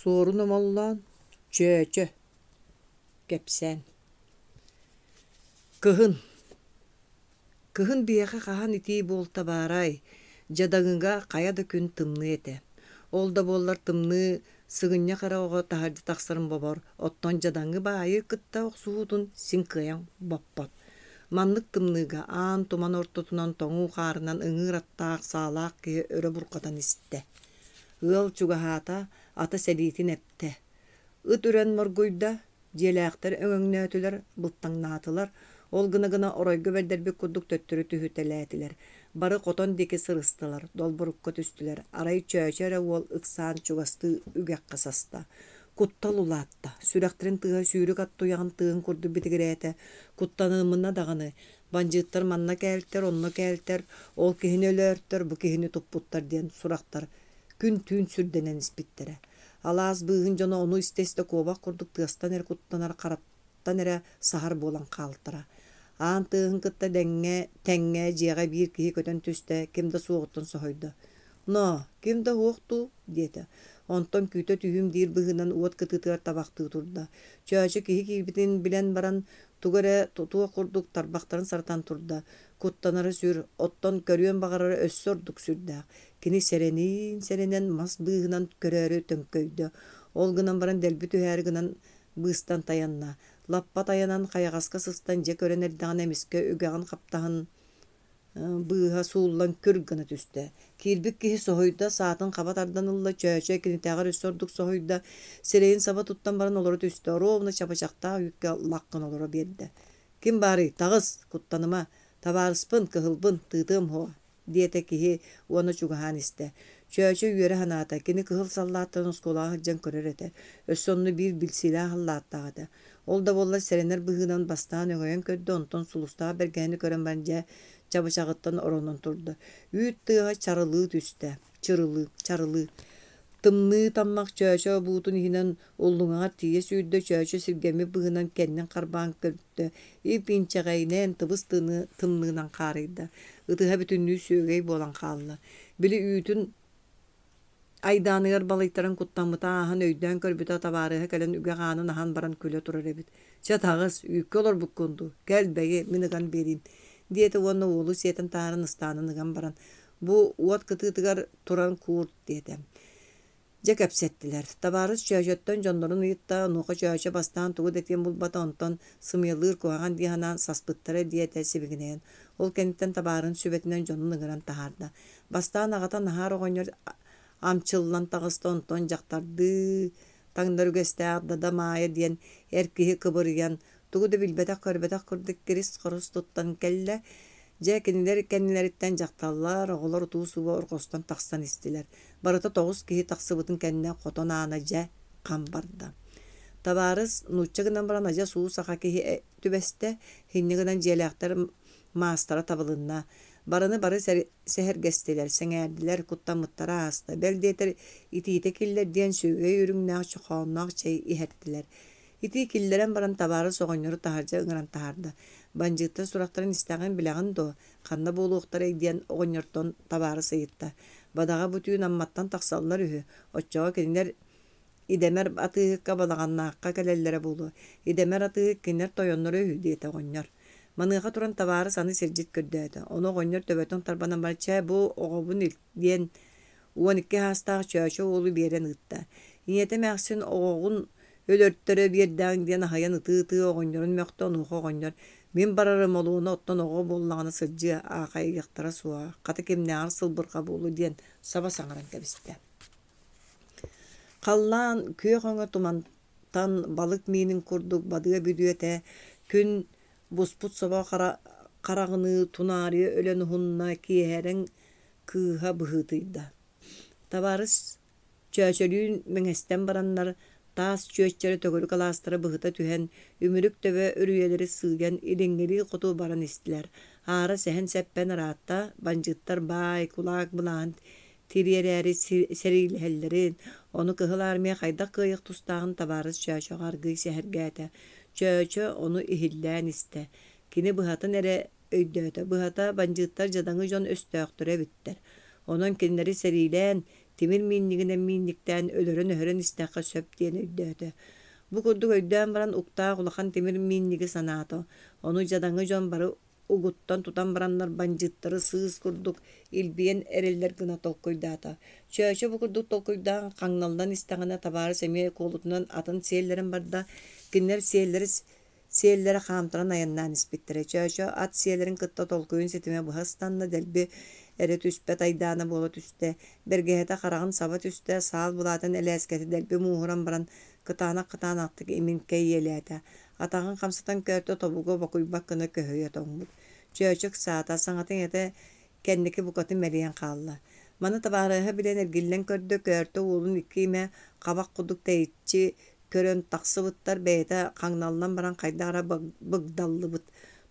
Суорун Омоллоон Чөөчө кэпсээн Кыһын Кыһын биһиэхэ хаһан итии буолта баарай, дьадаҥыга хайа да күн тымныы этэ. Ол да буоллар тымныы сыгынньах эрэ оҕо таһырдьа тахсарын бобор, оттон дьадаҥы баайы кытта охсуһуутун син кыайан боппот. Маннык тымныыга аан туман ортотунан тоҥуу хаарынан ыҥыыр аттаах саалаах киһи өрө бурҕатан истэ. Ыал чугаһаата, ата сэлиитин эптэ. Ыт үрэн моргуйда, дьиэлээхтэр өҥөҥнөөтүлэр, былтаҥнаатылар, ол гына-гына оройго бэрдэрбит курдук төттөрү түһүтэлээтилэр. Бары хотон диэки сырыстылар, долборукка түстүлэр. Арай Чөөчө эрэ уол ыксаан чугастыы үгэххэ саста. Куттал улаатта, сүрэхтэрин тыаһа сүүрүк ат туйаҕын тыаһын курдук битигирээтэ. Куттанымына даҕаны, бандьыыттар манна кээлтэр, онно кээлтэр, ол киһини өлөөртөр, бу киһини туппуттар диэн сурахтар күн-түүн сүрдэнэн испиттэрэ. Алаас быыһын дьоно ону истэ-истэ куобах курдук тыастан эрэ куттанар хараттан эрэ саһар буолан хаалтара. Аан тыаһын кытта дэҥҥэ, тэҥҥэ дьиэҕэ биир киһи көтөн түстэ, ким да суоҕуттан соһуйда. «Ноо, ким да уһуох дуу?» диэтэ. Онтон күүтэ түһүүм диир быһыынан уот кытыытыгар табахтыы турда. Чөөчө киһи киирбитин билэн баран, тугу эрэ тутуох курдук тарбахтарын саратан турда. Куттанара сүр, оттон көрүөн баҕарара өссө ордук сүрдээх. Кини сэрэниин-сэрэнэн мас быыһынан көрөөрү төҥкөйдө. Ол гынан баран дэлби түһээри гынан быыстан тайанна. Лаппа тайанан хайаҕаска сыстан дьэ көрөн эрдэҕинэ эмискэ үгэҕин хаптаһын быыһа сууллан күр гына түстэ. Киирбит киһи соһуйда, саатын хаба тардан ылла, Чөөчө кинитээҕэр өссө ордук соһуйда, сирэйин саба туттан баран олоро түстэ, оруобуна чабычахтаах үүккэ лах гына олоро биэрдэ. «Ким баарый, таҕыс, куттаныма, табаарыспын, кыһылбын, тыытыам уһуо» диэтэ киһи уонна чугаһаан истэ. Чөөчө үөрэ санаата, кини кыһыл саллааттарын оскуолаҕа сылдьан көрөр этэ, өссө онно биир билсиилээх саллааттаах этэ. Ол да буоллар сэрэнэр быһыынан бастаан өҥөйөн көрдө, онтон сулустаах бэргэһэни көрөн баран дьэ чабычаҕыттан оронон турда. Үүт тыаһа чарылыы түстэ, чырылыы, чарылыы. Тымныы таммах Чөөчө буутун иһинэн уллуҥаҕар тиийэ сүүрдэ, Чөөчө сиргэммит быһыынан кэннин харбаан көрдө, ип-инчэҕэйинэн тыбыс тымныынан хаарыйда, ытыһа бүтүннүү сүөгэй буолан хаалла. Били үүтүн айдааныгар балыйтаран куттаммыта ааһан өйдөөн көрбүтэ табаарыһа кэлэн үгэх аанын аһан баран күлэ турар эбит. «Чэ таҕыс, үүккэ олорбуккун дуу, кэл бэйи, мин ыган биэриим» диэтэ уонна уолу сиэтэн таһааран ыстаанын ыган баран «Бу уот кытыытыгар туран куурт» диэтэ. Дьэ кэпсэттилэр. Табаарыс Чөөчөттөн дьоннорун ыйытта, онуоха Чөөчө бастаан тугу да этиэн булбата, онтон сымыйалыыр куһаҕан дии санаан саспыттара диэтэ сибигинэйэн. Ол кэнниттэн табаарын сүбэтинэн дьонун ыҥыран таһаарда. Бастаан аҕата Наһаар оҕонньор амчыллан таҕыста, онтон дьахтардыы таҥнар үгэстээх Дада Маайа диэн эр киһи кыбырыйан, тугу да билбэтэх-көрбөтөх курдук кирис-хорус туттан кэллэ. Дьэ, кинилэр кэннилэриттэн дьахталлар, оҕолор утуу-субу орҕостон тахсан истилэр. Барыта тоҕус киһи тахсыбытын кэннэ хотон аана дьэ хам барда. Табаарыс нуучча гынан баран адьас уу саха киһи түбэстэ, инньэ гынан дьиэлээхтэр маастара табылынна. Барыны бары сэһэргэстилэр, сэҥээрдилэр, куттаммыттара ааста. Бэл диэтэр итиитэ киллэр диэн сүөгэй үрүҥнээх чохоонноох чэй иһэртилэр. Итии киллэрэн баран табаарыс оҕонньору таһырдьа ыҥыран таһаарда. Бандьыыттар сурахтарын истэҕин билэҕин дуо, ханна буолуохтарай диэн оҕонньортон табаарыс ыйытта. Бадаҕа бу түүн Амматтан тахсаллар үһү, оччоҕо кинилэр Идэмэр атыыһыкка Балаҕаннаахха кэлэллэрэ буолуо. Идэмэр атыыһык кинилэр тойонноро үһү диэтэ оҕонньор. Маныаха туран табаарыс аны сирдьит көрдөөтө. Ону оҕонньор төбөтүн тарбанан баран чэ бу оҕобун ил диэн 12 саастаах Чөөчө уолу биэрэн ыытта. Ийэтэ эмээхсин оҕоҕун өлөртөрө биэрдэҕиҥ диэн аһыйан ытыы-ытыы оҕонньорун мөхтө, онуоха оҕонньор мин барарым олуона оттон оҕо буоллаҕына сылдьыа, аахайыахтара суоҕа, хата кимнээҕэр сылбырҕа буолуо диэн саба саҥаран кэбистэ. Халлаан күөх өҥө тумантан балык миинин курдук бадыа бүдүөтэ, күн буспут собо хараҕыныы тунаарыйа өлөн уһунна, киэһэрэн кыыһа быһыытыйда. Табаарыс Чөөчөлүүн мэҥэстэн бараннар, таас чүөччэрэ төгүрүк алаастара быһыта түһэн, үмүрүк төбө үрүйэлэри сыыйан илиҥҥилии хоту баран истилэр. Аара сэһэн-сэппэн ыраатта, бандьыыттар баай, кулаак былааһын тириэрээри сэриилэһэллэрин, ону Кыһыл Армия хайдах кыайыах тустааҕын табаарыс Чөөчөҕө аргыый сэһэргээтэ. Чөөчө ону иһиллээн истэ. Кини быһатын эрэ өйдөөтө. Быһата, бандьыыттар дьадаҥы дьон өстөөхтөрө эбиттэр. Онон кинилэри сэриилээн, тимир миинньигинэн миинньиктээн өлөрөн-өһөрөн истэххэ сөп диэн өйдөөтө. Бу курдук өйдөөн баран уктаах улахан тимир миинньиги санаата. Ону дьадаҥы дьон бары угуттан тутан бараннар бандьыыттары сыыс курдук илбийэн эрэллэр гына толкуйдаата. Чөөчө бу курдук толкуйдаан хаҥналлан истэҕинэ табаарыс эмиэ куолутунан атын сиэллэрэн барда. Кинилэр сиэллэри сиэллэрэ хаамтаран айаннаан испиттэрэ. Чөөчө ат сиэлэрин кытта толкуйун ситимэ быһа ыстанна, дэлби эрэ түспэт айдаана буола түстэ. Бэргэһэтэ хараҕын саба түстэ, саал былаатын элээскэтэ дэлби мууһуран баран кытаанах-кытаанахтык имин кэйиэлээтэ. Атаҕын хамсатан көөртө тобуга бокуйбат гына көһүйэ тоҥмут. Чөөчө ыксаата, саҥата-иҥэтэ кэнники букатын мэлийэн хаалла. Маны табаарыһа билэн эргиллэн көрдө, көөртө уолун икки имэ хабах курдук тэйиччи көрөн тахсыбыттар, бэйэтэ хаҥналлан баран хайдах эрэ быгдаллыбыт.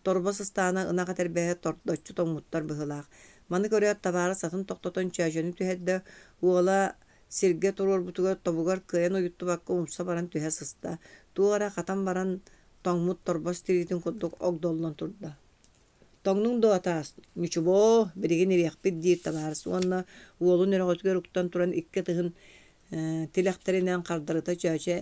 Торбос ыстаана ынах этэрбэһэ тордоччу тоҥмуттар быһыылаах. Маны көрөөт табаарыс атын тохтотон чөөчөнү түһэрдэ, уола сиргэ туруорбутугар тобугар кыайан уйуттубакка умса баран түһэ сыста. Туох эрэ хатан баран тоҥмут торбос тириитин курдук огдоллон турда. Тоҥнуҥ дуо, атаас? Ньучубоо, билигин ириэхпит диир табаарыс уонна уолун өрөҕөтүгэр уктан туран икки ытыһын тилэхтэринэн хардарыта чөөчө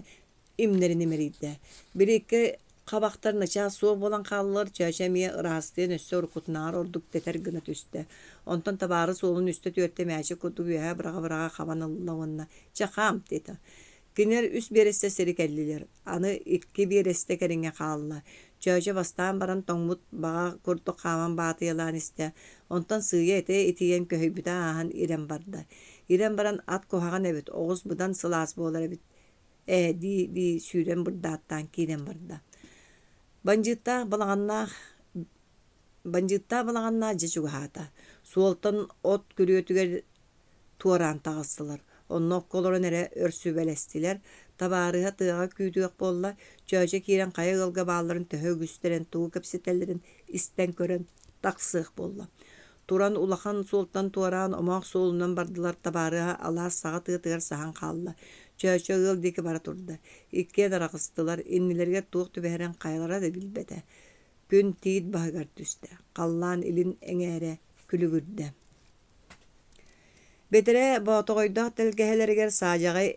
имнэрин имэрийдэ. Били икки хабахтар начаас суох буолан хааллылар, чөөчө эмиэ ыраастыйан өссө уруккутунааҕар ордук тэтэр гына түстэ. Онтон табаарыс уолун үстэ-түөртэ мээчик курдук үөһэ быраҕа-быраҕа хабан ылла уонна «Чэ, хаам» диэтэ. Кинилэр үс биэрэстэ сири кэллилэр, аны икки биэрэстэ кэриҥэ хаалла. Чөөчө бастаан баран тоҥмут баҕа курдук хааман баатыйалаан истэ, онтон сыыйа этэ итийэн көһүйбүтэ ааһан ирэн барда. Ирэн баран ат куһаҕан эбит, оҕус быдан сылаас буолар эбит ээ дии-дии сүүрэн бырдааттаан киирэн барда. Бандьыыттаах балаҕаннаах Бандьыыттаах балаҕаннаах дьэ чугаһаата. Суолтан от күрүөтүгэр туораан таҕыстылар. Онно окко олорон эрэ өр сүбэлэстилэр. Табаарыһа тыаҕа күүтүөх буолла, Чөөчө киирэн хайа ыалга баалларын төһө үгүстэрин, тугу кэпсэтэллэрин истэн көрөн тахсыах буолла. Туран улахан суолтан туораан омоох суолунан бардылар, табаарыһа алаас саҕа тыатыгар саһан хаалла. Чөөчө ыал диэки бара турда. Иккиэн араҕыстылар, иннилэригэр туох түбэһэрин хайалара да билбэтэ. Күн тиит баһыгар түстэ, халлаан илин эҥээрэ күлүгүрдэ. Бэтэрээ Боотоҕойдоох тэлгэһэлэригэр саадьаҕай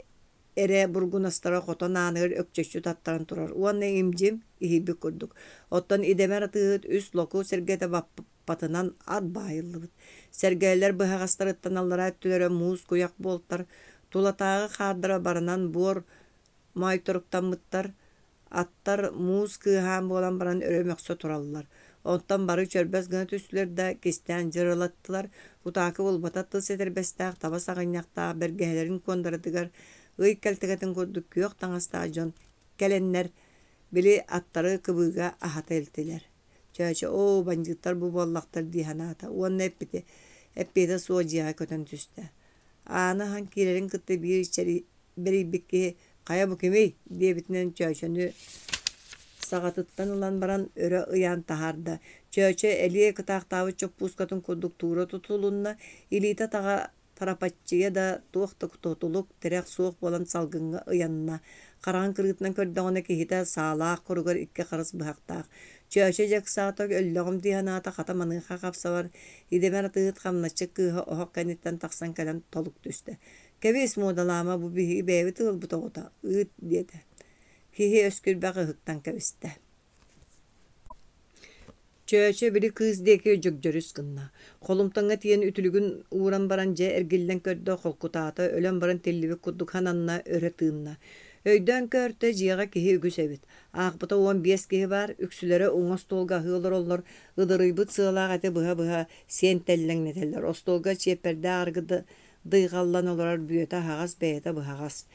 эрэ бургунастара хотон ааныгар өкчөччү таттаран турар уонна им-дьим иһийбит курдук. Оттон идэмэр атыыһыт үс локу сэргэтэ баппатынан ат баайыллыбыт. Сэргэлэр быһаҕастарыттан аллараа өттүлэрэ муус куйах буолтар, тулатааҕы хаардара барынан буор моойторуктаммыттар, Аттар муус кыаһаан буолан баран өрө мөхсө тураллар. Онтон бары чөрбөс гына түстүлэр да, кистээн дьырылаттылар. Утаакы булбата тыс этэрбэстээх, таба саҕынньахтаах бэргэһэлэрин куондаратыгар ый кэлтэгэтин курдук күөх таҥастаах дьон кэлэннэр, били аттары кыбыыга аһата илтилэр. Чөөчө оо, бандьыыттар бу буоллахтар дии санаата уонна эппитэ эппиэтэ суох дьиэҕэ көтөн түстэ. Ааны аһан киирэрин кытта биир бэрийбит киһи «Хайа бу кимий?» диэбитинэн Чөөчөнү саҕатыттан ылан баран өрө ыйаан таһаарда. Чөөчө элиэ кытаахтаабыт чоппуускатын курдук туура тутулунна, илиитэ-атаҕа тарапаччыйа да туох да тутулук, тирэх суох буолан салгыҥҥа ыйанна. Хараҕын кырыытынан көрдөҕүнэ киһитэ саалаах куругар икки харыс быһахтаах. Чөөчө дьэ ыксаата, өллөҕүм дии санаата, хата маныаха хапсабар, идэмэр атыыһыт хамначчыт кыыһа оһох кэнниттэн тахсан кэлэн толук түстэ. Кэбис, муодалаама, бу биһиги бэйэбит ыалбыт оҕото, ыыт диэтэ. Киһи өскүрбэх ыһыктан кэбистэ. Чөөчө били кыыс диэки дьөгдьөрүс гынна. Холумтаҥҥа тиийэн үтүлүгүн ууран баран дьэ эргиллэн көрдө, холкутаата, өлөн баран тиллибит курдук сананна, өрө тыынна. Өйдөөн көөртө, дьиэҕэ киһи үгүс эбит. Аахпыта 15 киһи баар, үксүлэрэ уҥа остуолга аһыы олороллор, ыдырыйбыт сыалаах эти быһа-быһа сиэн тэллэҥнэтэллэр. Остуолга чиэппэрдээх арыгы дыйҕаллан олорор бүөтэ аһаҕас, бэйэтэ быһаҕас.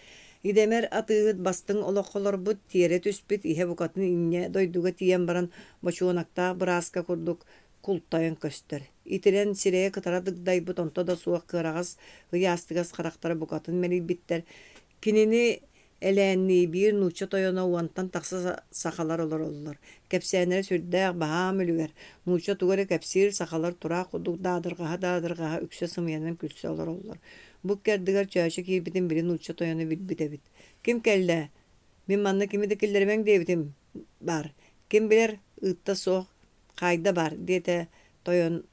Идэмэр атыыһыт бастыҥ олоххо олорбут, тиэрэ түспүт, иһэ букатын инньэ дойдуга тиийэн баран бочуонактаах бырааска курдук култайан көстөр. Итирэн сирэйэ кытара дыгдайбыт, онто да суох кыараҕас ыйаастыгас харахтара букатын мэлийбиттэр. Кинини Элээннии биир нуучча тойоно уонтан тахса сахалар олороллор. Кэпсээннэрэ сүрдээх баһаам үлүгэр. Нуучча тугу эрэ кэпсиир, сахалар тураах курдук даадырҕаһа-даадырҕаһа үксэ сымыйанан күлсэ олороллор. Бу икки ардыгар Чөөчө киирбитин били нуучча тойоно билбит эбит. «Ким кэллэ? Мин манна кими да киллэримэҥ диэбитим баар. Ким билэр, ыытта суох, хаайда баар» диэтэ тойон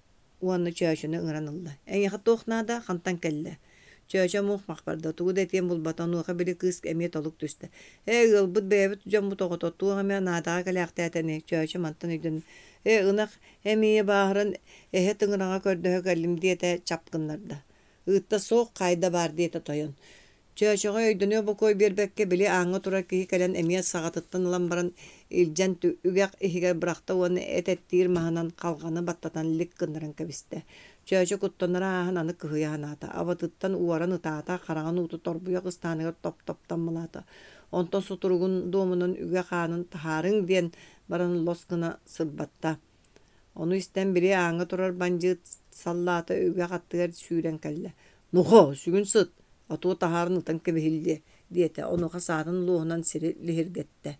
уонна Чөөчөнү ыҥыран ылла. «Эйиэхэ туох наада, хантан кэллэ?» Чөөчө мух-мах барда, тугу да этиэн булбата, онуоха били кыыс эмиэ толук түстэ. Ээ, ыалбыт бэйэбит дьоммут оҕото, туох эмэ наадаҕа кэлээхтээтэ ини, Чөөчө мантан өйдөнөн, ээ, ынах эмиийэ бааһыран эһэ тыҥыраҕа көрдөһө кэллим диэтэ, чап гыннарда. Ыытта суох, хаайда баар диэтэ тойон. Чөөчөҕө өйдөнүө бокуой биэрбэккэ, били ааҥҥа турар киһи кэлэн эмиэ саҕатыттан ылан баран илдьэн үгэх иһигэр бырахта уонна эт эттиир маһынан халҕаны баттатан лик гыннаран кэбистэ. Чөөчө куттанара ааһан аны кыһыйа санаата, абатыттан уоран ытаата, хараҕын уута торбуйах ыстааныгар топ-топ таммалаата. Онтон сутуругун дуомунан үгэх аанын таһаарыҥ диэн баран лос гына сырбатта. Ону истэн били ааҥҥа турар бандьыыт саллаата үгэх аттыгар сүүрэн кэллэ: «Нохоо, сүгүн сыт, отуо таһааран ытан кэбиһиллиэ» диэтэ, онуоха саатын луоһунан сири лиһиргэттэ.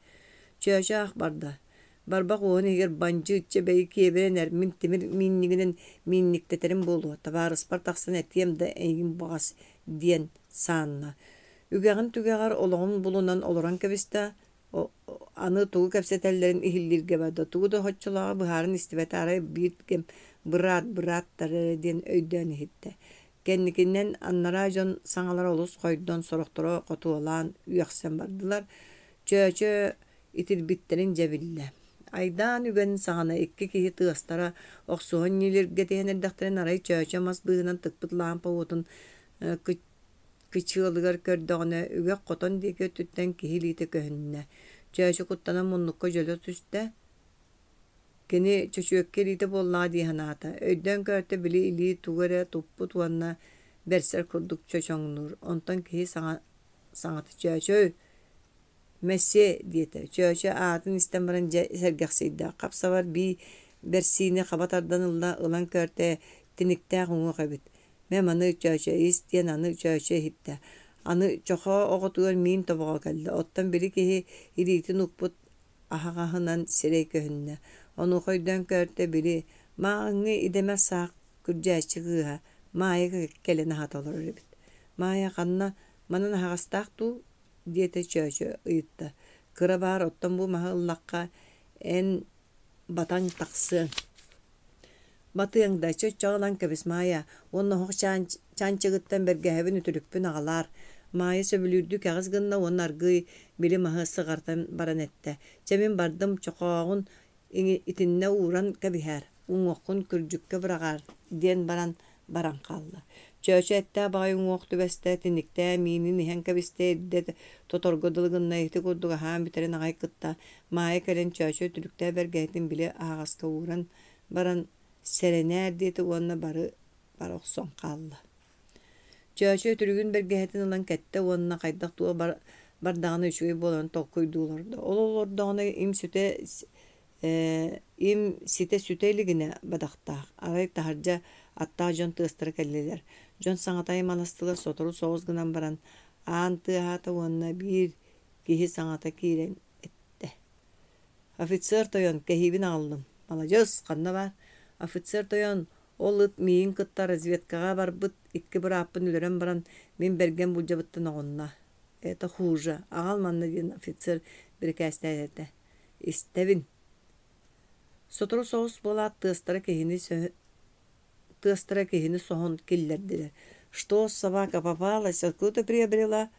Чөөчө ах барда. Барбах уоһун иһигэр бандьыыт чэ бэйи киэбирэн эр, мин тимир миинньигинэн миинньиктэтэрим буолуо, табаарыспар тахсан этиэм да эйигин баҕас диэн саанна. Үгэҕин түгэҕэр олоҕун булунан олорон кэбистэ, Аны тугу кэпсэтэллэрин иһиллииргэ барда, тугу да соччолооҕу быһааран истибэтэ, арай биир кэм «быраат, бырааттар» эрэ диэн өйдөөн иһиттэ. Кэнникинэн анараа дьон саҥалара олус хойдон, сорохторо хотуолаан үөхсэн бардылар. Чөөчө итирбиттэрин дьэ биллэ. Айдаан үгэн саҕана икки киһи тыастара охсуһан ньилиргэтиһэн эрдэхтэринэ арай Чөөчө мас быыһынан тыкпыт лаампа уотун кычыалыгар көрдөҕүнэ, үгэх хотон диэки өттүттэн киһи илиитэ көһүннэ. Чөөчө куттанан муннукка дьөлө түстэ. Кини чөчүөккэ илиитэ буоллаҕа дии санаата. Өйдөөн көртө били илии тугу эрэ туппут уонна бэрсэр курдук чочоҥнуур. Онтон киһи саҥа саҥата «Чөөчөй, Мессиэ диэтэ, Чөөчө аатын истэн баран дьэ сэргэхсийдэ, хап-сабар бии бэрсиини хаба тардан ылла, ылан көртө тиниктээх уҥуох эбит. Мэ маны Чөөчө ис диэн аны Чөөчө иһиттэ. Аны чохоо оҕотугар миин тобоҕо кэллэ, оттон били киһи илиитин укпут аһаҕаһынан сирэй көһүннэ. Онуоха өйдөөн көртө били мааҕыҥҥы идэмэр саах күрдьээччи кыыһа Маайа кэлэн аһата олорор эбит. Маайа ханна манан аһаҕастаах дуу диэтэ Чөөчө ыйытта. Кыра баар оттон бу маһы ыллахха эн батаҥ тахсыаҥ. Батыаҥ да, чөччөҕө ылан кэбис Маайа уонна оһох чаанчыгыттан бэргэһэбин үтүлүкпүн аҕалаар. Маайа сөбүлүүрдүү кэҕис гынна уонна аргыый били маһы сыҕартан баран эттэ: «Чэ мин бардым, чохооҕун итиннэ ууран кэбиһээр, уҥуоххун күрдьүккэ быраҕаар» диэн баран баран хаалла. Чөөчө эттээх баҕайы уҥуох түбэстэ, тиниктээн миинин иһэн кэбистэ, ирдэ тоторго дылы гынна, ити курдук аһаан бүтэрин аҕай кытта Маайа кэлэн Чөөчө үтүлүктээх бэргэһэтин били аһаҕаска ууран баран «Сэрэнээр» диэтэ уонна бары бара охсон хаалла. Чөөчө үтүлүгүн бэргэһэтин ылан кэттэ уонна хайдах туох бардаҕына үчүгэй буоларын толкуйдуу олордо. Ол олордоҕуна им сүтэ им ситэ сүтэ илигинэ бадахтаах, арай таһырдьа аттаах дьон тыастара кэллилэр. Дьон саҥата аймаластылар, сотору соҕус гынан баран аан тыаһаата уонна биир киһи саҥата киирэн эттэ: «Офицер тойон, кэһиибин аҕаллым. Маладьыас, ханна баар?» «Офицер тойон, ол ыт миигин кытта разведкаҕа барбыт икки бырааппын өлөрөн баран, мин бэргэн булдьабыттан оҕунна. Это хуже. Аҕал манна диэн офицер бирикээстээтэ. Истэбин. Сотору соҕус буолаат тыастара киһини тыастара киһини соһон киллэрдилэр. Что собака попалась, откуда приобрела?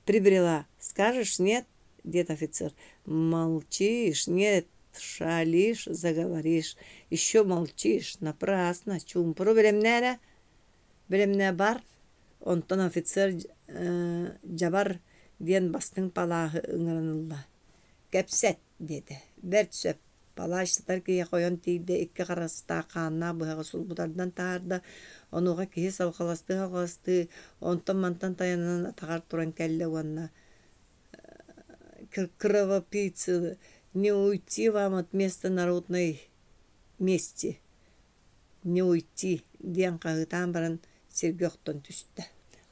Прибрела. Скажешь нет? диэт офицер. Молчишь, нет, шалишь, заговоришь. Еще молчишь, напрасно, чуумпуру бэлэмнээ эрэ. Бэлэмнээ бар. Онтон офицер дьабар диэн бастыҥ палааһы ыҥыран ылла. Кэпсэт диэтэ. Бэрт сөп. Палач сытар киһиэхэ ойон тиийдэ, икки харастаах хааннаах быһаҕы сулбу тардан таһаарда. Онуоха киһи салҕаластыы-салҕаластыы, онтон-мантан тайанан атаҕар туран кэллэ уонна «Кровопийцы, не уйти вам от места народной мести, не уйти» диэн хаһыытаан баран сиргэ охтон түстэ.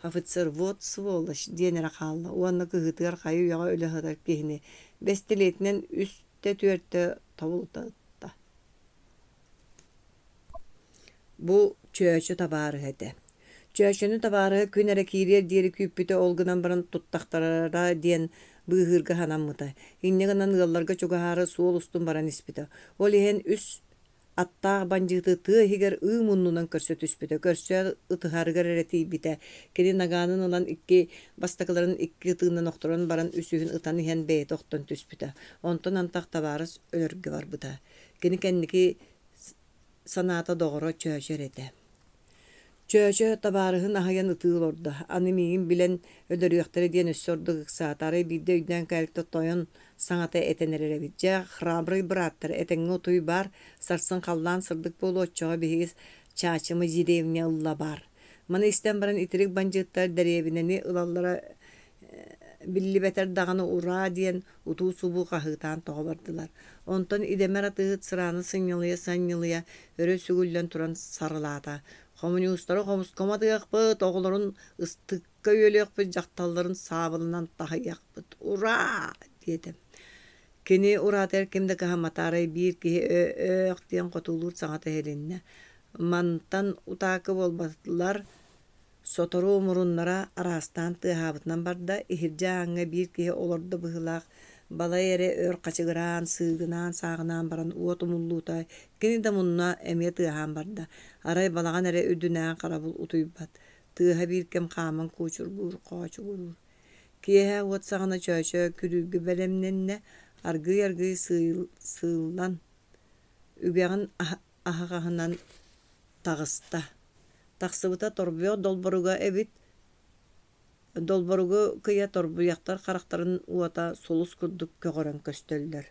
Офицер «вот сволочь» диэн эрэ хаалла уонна кыһыытыгар хайы-үйэҕэ өлө сытар киһини бэстилиэтинэн үстэ-түөртэ тобулута ытта. Бу Чөөчө табаарыһа этэ. Чөөчөнү табаарыһа күн эрэ киириэр диэри күүппүтэ, ол гынан баран туттахтарара диэн быыһыырга санаммыта. Инньэ гынан ыалларга чугаһаары суол устун баран испитэ. Ол иһэн үс Аттаах бандьыыты тыа иһигэр ыы муннунан көрсө түспүтэ. Көрсөөт ытыһарыгар эрэ тиийбитэ. Кини нагаанын ылан икки бастакыларын икки ытыынан охторон баран үсүһүн ытан иһэн бэйэтэ охтон түспүтэ. Онтон антах табаарыс өлөргө барбыта. Кини кэнники санаата доҕоро Чөөчө эрэ этэ. Чөөчө табаарыһын аһыйан ытыы олордо, аны миигин билэн өлөрүөхтэрэ диэн өссө ордук ыксаата, арай биирдэ өйдөөн кэлбитэ тойон саҥата этэн эрэр эбит: «Дьэ, храбрый бырааттар, этэҥҥэ утуй баар, сарсын халлаан сырдык буолуо, оччоҕо биһиги Чаачымы деревня ылла баар». Маны истэн баран итирик бандьыыттар дэриэбинэни ылаллара биллибэтэр даҕаны ураа диэн утуу-субуу хаһыытаан тоҕо бардылар. Онтон идэмэр атыыһыт сырааны сынньалыйа-сынньалыйа өрө сүгүллэн туран сарылаата: «Хомуньуустары хомускомо атыахпыт, оҕолорун ыстыкка үөлүөхпүт, дьахталларын саабылынан таһыйыахпыт. Ураа!» диэтэ. Кини ураатыгар ким да кыһаммата, арай биир киһи «Өөх» диэн хотуолуур саҥата иһилиннэ. Мантан утаакы буолбатылар, Сотору муруннара араастаан тыаһаабытынан барда, иһирдьэ ааҥҥа биир киһи олордо быһыылаах, балай эрэ өр хачыгыраан, сыыгынаан-сааҕынаан баран уот умуллуута, кини да мунна эмиэ тыаһаан барда. Арай балаҕан эрэ үрдүнээҕи харабыл утуйбат, тыаһа биир кэм хааман куучургуур, хоочугуруур. Киэһэ уот саҕана Чөөчө күрүүргэ бэлэмнэннэ, аргыый-аргыый сыыллан, үгэҕин аһаҕаһынан таҕыста. Тахсыбыта торбуйах долборуга эбит, долборугу кыйа торбуйахтар харахтарын уота сулус курдук көҕөрөн көстөллөр.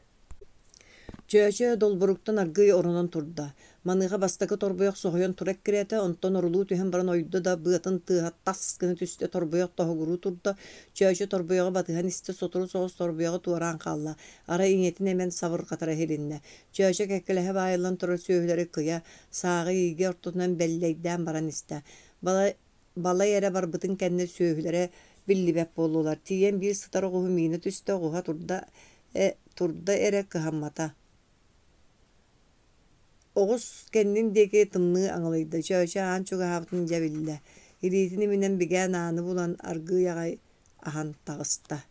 Чөөчө долборуктан аргыый оронон турда. Маныаха бастакы торбуйах соһуйан тура эккирээтэ, онтон орулуу түһэн баран ойдо да быатын тыаһа тас гына түстэ, торбуйах тоһугуруу турда. Чөөчө торбуйаҕы батыһан истэ, сотору соҕус торбуйаҕы туораан хаалла. Арай ийэтин эмэн сабырҕатара иһилиннэ. Чөөчө кэккэлэһэ баайыллан турар сүөһүлэри кыйа, сааҕы иигэ ортотунан бэллэйдээн баран истэ. Балай, балай эрэ барбытын кэннэ сүөһүлэрэ биллибэт буоллулар. Тиийэн биир сытар оҕуһу миинэ түстэ, оҕуһа турда, э, турда эрэ кыһаммата. Оҕус кэннин диэки тымныы аҥылыйда. Чөөчө аан чугаһаабытын дьэ биллэ. Илиитин иминэн бигээн ааны булан аргыый аҕай аһан таҕыста.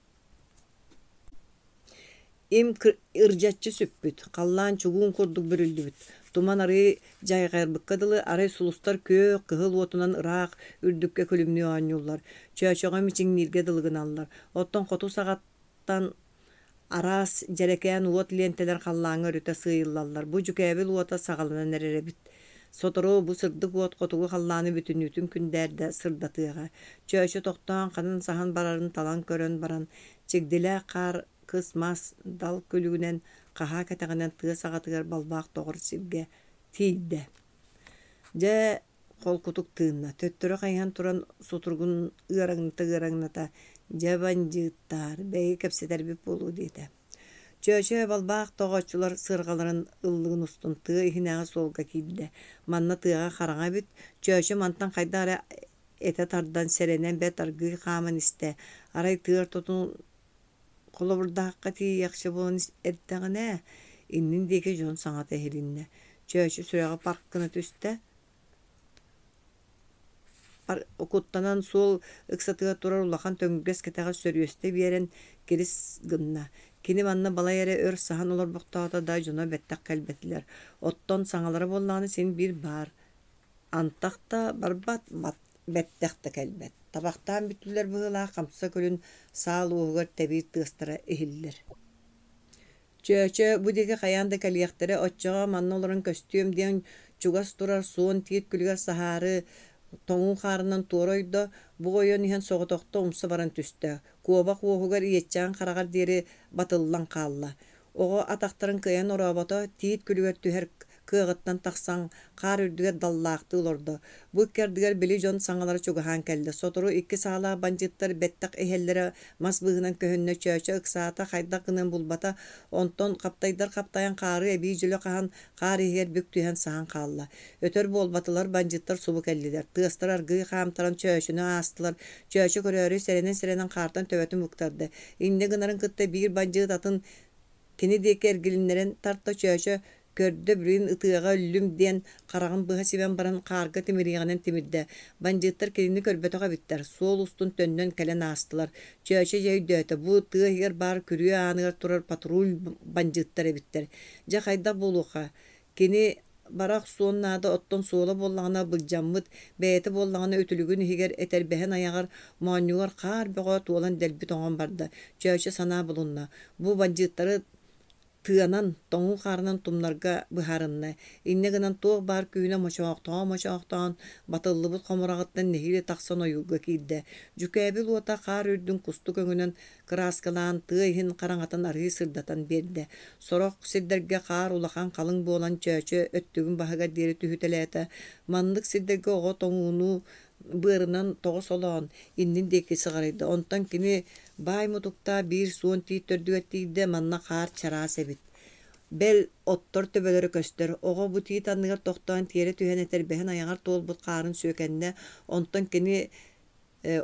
Им ырдьаччы сүппүт, халлаан чугуун курдук бүрүллүбүт, туман арыы дьайҕайбыкка дылы арай сулустар күөх, кыһыл уотунан ыраах үрдүккэ күлүмнүү оонньууллар, чөөчөҕө мичиҥнииргэ дылы гыналлар. Оттон хоту саҕаттан араас дьэрэкээн уот лиэнтэлэр халлааҥҥа өрүтэ сыыйыллаллар. Бу дьүкээбил уота саҕаланан эрэр эбит. Сотору бу сырдык уот хотугу халлааны бүтүннүүтүн күндээрдэ сырдатыаҕа. Чөөчө тохтоон ханан саһан барарын талан көрөн баран, чигдилээх хаар кыс мас дал күлүгүнэн хаһаа кэтэҕинэн тыа саҕатыгар балбаах тоҕор сиргэ тиийдэ. Дьэ, холкутук тыынна, төттөрү хайыһан туран сутуругун ыараҥната-ыараҥната «Дьэ, бандьыыттаар, бэйи кэпсэтэрбит буолуо» диэтэ. Чөөчө балбаах тоҕооччулар сыарҕаларын ыллыгын устун тыа иһинээҕи суолга киирдэ. Манна тыаҕа хараҥа эбит, Чөөчө мантан хайдах эрэ этэ тардан, сэрэнэн бэрт аргыый хааман истэ. Арай тыа ортотун холобурдаахха тиийиэхчэ буолан эрдэҕинэ, иннин диэки дьон саҥата иһилиннэ. Чөөчө сүрэҕэ парк гына түстэ, куттанан суол ыксатыгар турар улахан төҥүргэс кэтэҕи сөрүөстэ биэрэн кирис гынна. Кини манна балай эрэ өр саһан олорбохтоото да, дьоно бэттэх кэлбэтилэр. Оттон саҥалара буоллаҕына син биир баар. Антах да барбат, бэттэх да кэлбэт. Табахтаан бүттүлэр быһыылаах хамса күлүн саал уоһугар тэбиир тыастара иһиллэр. Чөөчө, бу диэки хайаан да кэлиэхтэрэ, оччоҕо манна олорон көстүөм диэн чугас турар суон тиит күлүгэр саһаары тоҥуу хаарынан туора ойдо, бу ойон иһэн соҕотохто умса баран түстэ, куобах уоһугар иэччэҕин хараҕар диэри батыллан хаалла. Оҕо атахтарын кыайан орообото, тиит күлүгэр түһэр кыаҕыттан тахсан, хаар үрдүгэр даллаахтыы олордо. Бу икки ардыгар били дьон саҥалара чугаһаан кэллэ. Сотору икки саалаах бандьыыттар бэттэх иһэллэрэ мас быыһынан көһүннэ, Чөөчө ыксаата, хайдах гыныан булбата. Онтон хаптайдар хаптайан хаары эбии дьөлө хаһан, хаар иһигэр бүк түһэн саһан хаалла. Өтөр буолбатылар, бандьыыттар субу кэллилэр. Тыастара аргыый хаамтаран Чөөчөнү аастылар. Чөөчө көрөөрү сэрэнэн-сэрэнэн хаартан төбөтүн быктарда. Инньэ гынарын кытта биир бандьыыт атын кини диэки эргилиннэрэн тарта Чөөчө көрдө билигин ытыаҕа өллүм диэн хараҕын быһа симэн баран хаарга тимириэҕинэн тимирдэ. Бандьыыттар кинини көрбөтөх эбиттэр, суол устун төннөн кэлэн аастылар. Чөөчө дьэ өйдөөтө, бу тыа иһигэр баар күрүө ааныгар турар патруль бандьыыттар эбиттэр. Дьэ хайдах буолуохха? Кини Бара охсуон наада, оттон суола буоллаҕына былдьаммыт, бэйэтэ буоллаҕына үтүлүгүн иһигэр, этэрбэһин айаҕар, моонньугар хаар бөҕө туолан дэлби тоҥон барда. Чөөчө санаа булунна. Бу бандьыыттары тыанан, тоҥуу хаарынан тумнарга быһаарынна. Инньэ гынан туох баар күүһүнэн мочоохтоон-мочоохтоон, батыллыбыт хомураҕыттан нэһиилэ тахсан ойуурга киирдэ. Дьүкээбил уота хаар үрдүн кустук өҥүнэн кырааскалаан, тыа иһин хараҥатын арыый сырдатан биэрдэ. Сорох сирдэргэ хаар улахан халыҥ буолан Чөөчө өттүгүн баһыгар диэри түһүтэлээтэ. Маннык сирдэргэ оҕо тоҥууну быарынан тоҕо солоон, иннин диэки сыҕарыйда. Онтон кини баай мутуктаах биир суон тиит төрдүгэр тиийдэ, манна хаар чараас эбит. Бэл, оттор төбөлөрө көстөр. Оҕо бу тиит анныгар тохтоон тиэрэ түһэн этэрбэһин айаҕар туолбут хаарын сүөкэннэ. Онтон кини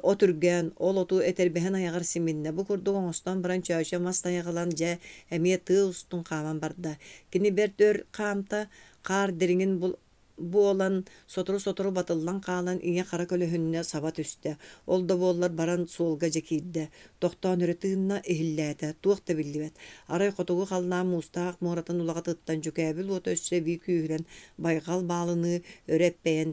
от үргээн, ол оту этэрбэһин айаҕар симиннэ. Бу курдук оҥостон баран Чөөчө мас тайаҕылан дьэ эмиэ тыа устун хааман барда. Кини бэрт өр хаамта, хаар дириҥин буолан, сотору-сотору батыллан хаалан ийэ-хара көлөһүннэ саба түстэ. Ол да буоллар баран суолга дьэ киирдэ. Тохтоон өрө тыынна, иһиллээтэ. Туох да биллибэт. Арай хотугу халлаан муустаах муоратын улаҕатыттан дьүкээбил уота өссө эбии күүһүрэн, байҕал баалыныы өрө эппэйэн,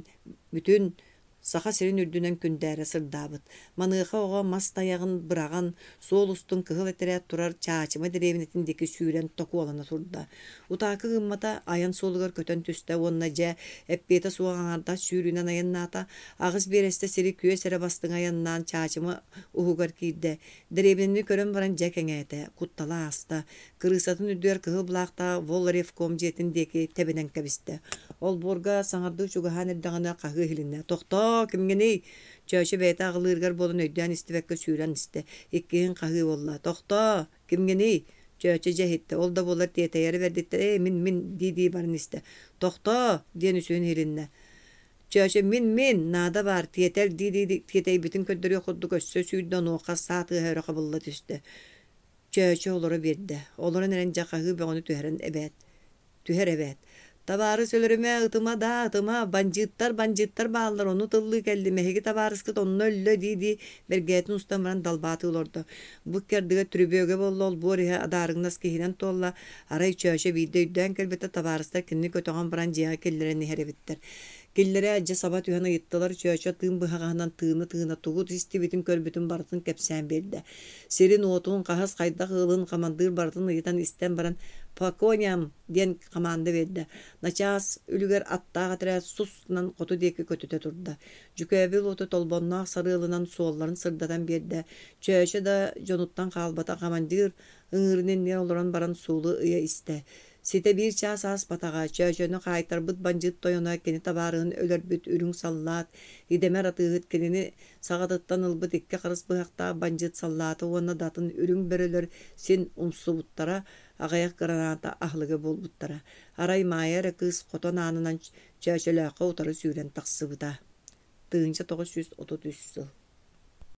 бүтүн Саха сирин үрдүнэн күндээрэ сырдаабыт. Маныаха оҕо мас тайаҕын быраҕан, суол устун кыһыл этэрээт турар Чаачыма дэриэбинэтин диэки сүүрэн токуолана турда. Утаакы гыммата, айан суолугар көтөн түстэ уонна дьэ, эппиэтэ суох аҥаардас сүүрүүнэн айаннаата. Аҕыс биэрэстэ сири күөс эрэ бастыҥ айаннаан Чаачыма уһугар киирдэ. Дэриэбинэни көрөн баран дьэ кэҥээтэ, куттала ааста. Кырыысатын үрдүгэр кыһыл былаахтаах Волревком дьиэтин диэки тэбинэн кэбистэ. Олбуорга саҥардыы чугаһаан эрдэҕинэ хаһыы иһилиннэ: «Тохтоо, кимҥиний?» Чөөчө бэйэтэ аҕылыырыгар буолан өйдөөн истибэккэ сүүрэн истэ. Иккиһин хаһыы буолла: «Тохтоо, кимҥиний?» Чөөчө дьэ иһиттэ, ол да буоллар тиэтэйэрэ бэрдиттэн «Ээ, мин, мин» дии-дии баран истэ. «Тохтоо!» диэн үсүһүн иһилиннэ. Чөөчө «Мин, мин, наада баар, тиэтэл» дии-дии тиэтэйбитин көрдөрүөх курдук өссө сүүрдэ, онуоха саа тыаһа өрө хабылла түстэ. Чөөчө олоро биэрдэ. Олорон эрэн дьэ хаһыы бөҕөнү түһэрэн эбээт. Түһэр эбээт. Табаарыс өлөрүмэ, ытыма даа, ытыма, бандьыыттар, бандьыыттар бааллар, ону тыллыы кэллим, эһиги табаарыскыт онно өллө дии-дии бэргээтин устан баран далбаатыы олордо. Бу икки ардыгар түрүбүөгэ буолла, олбуор иһэ адаарыҥнас киһинэн туолла. Арай Чөөчө биирдэ өйдөөн кэлбитэ, табаарыстар кинини көтөҕөн баран дьиэҕэ киллэрэн иһэр эбиттэр. Киллэрэ дьэ саба түһэн ыйыттылар, Чөөчө тыын быһаҕаһынан тыына-тыына тугу истибитин-көрбүтүн барытын кэпсээн биэрдэ. Сирин-уотун, хаһыс хайдах ыалын хамандыыр барытын ыйытан истэн баран «По коням!» диэн хамаанда биэрдэ. Начаас үлүгэр аттаах этэрээт сус гынан хоту диэки көтүтэ турда. Дьүкээбил уоту толбонноох сарыалынан суолларын сырдатан биэрдэ. Чөөчө да дьонуттан хаалбата хамандыыр ыҥыырын иннигэр олорон баран суолу ыйа истэ. Ситэ биир чаас ааспатаҕа, Чөөчөнү хаайтарбыт бандьыыт тойоно кини табаарыһын өлөрбүт үрүҥ саллаат, идэмэр атыыһыт кинини саҕатыттан ылбыт икки харыс быһахтаах бандьыыт саллаата уонна да атын үрүҥ бөрөлөр син умсубуттара, аҕыйах граната аһылыга буолбуттара. Арай Маайа эрэ кыыс хотон аанынан Чөөчөлөөххө утары сүүрэн тахсыбыта. 1933 сыл.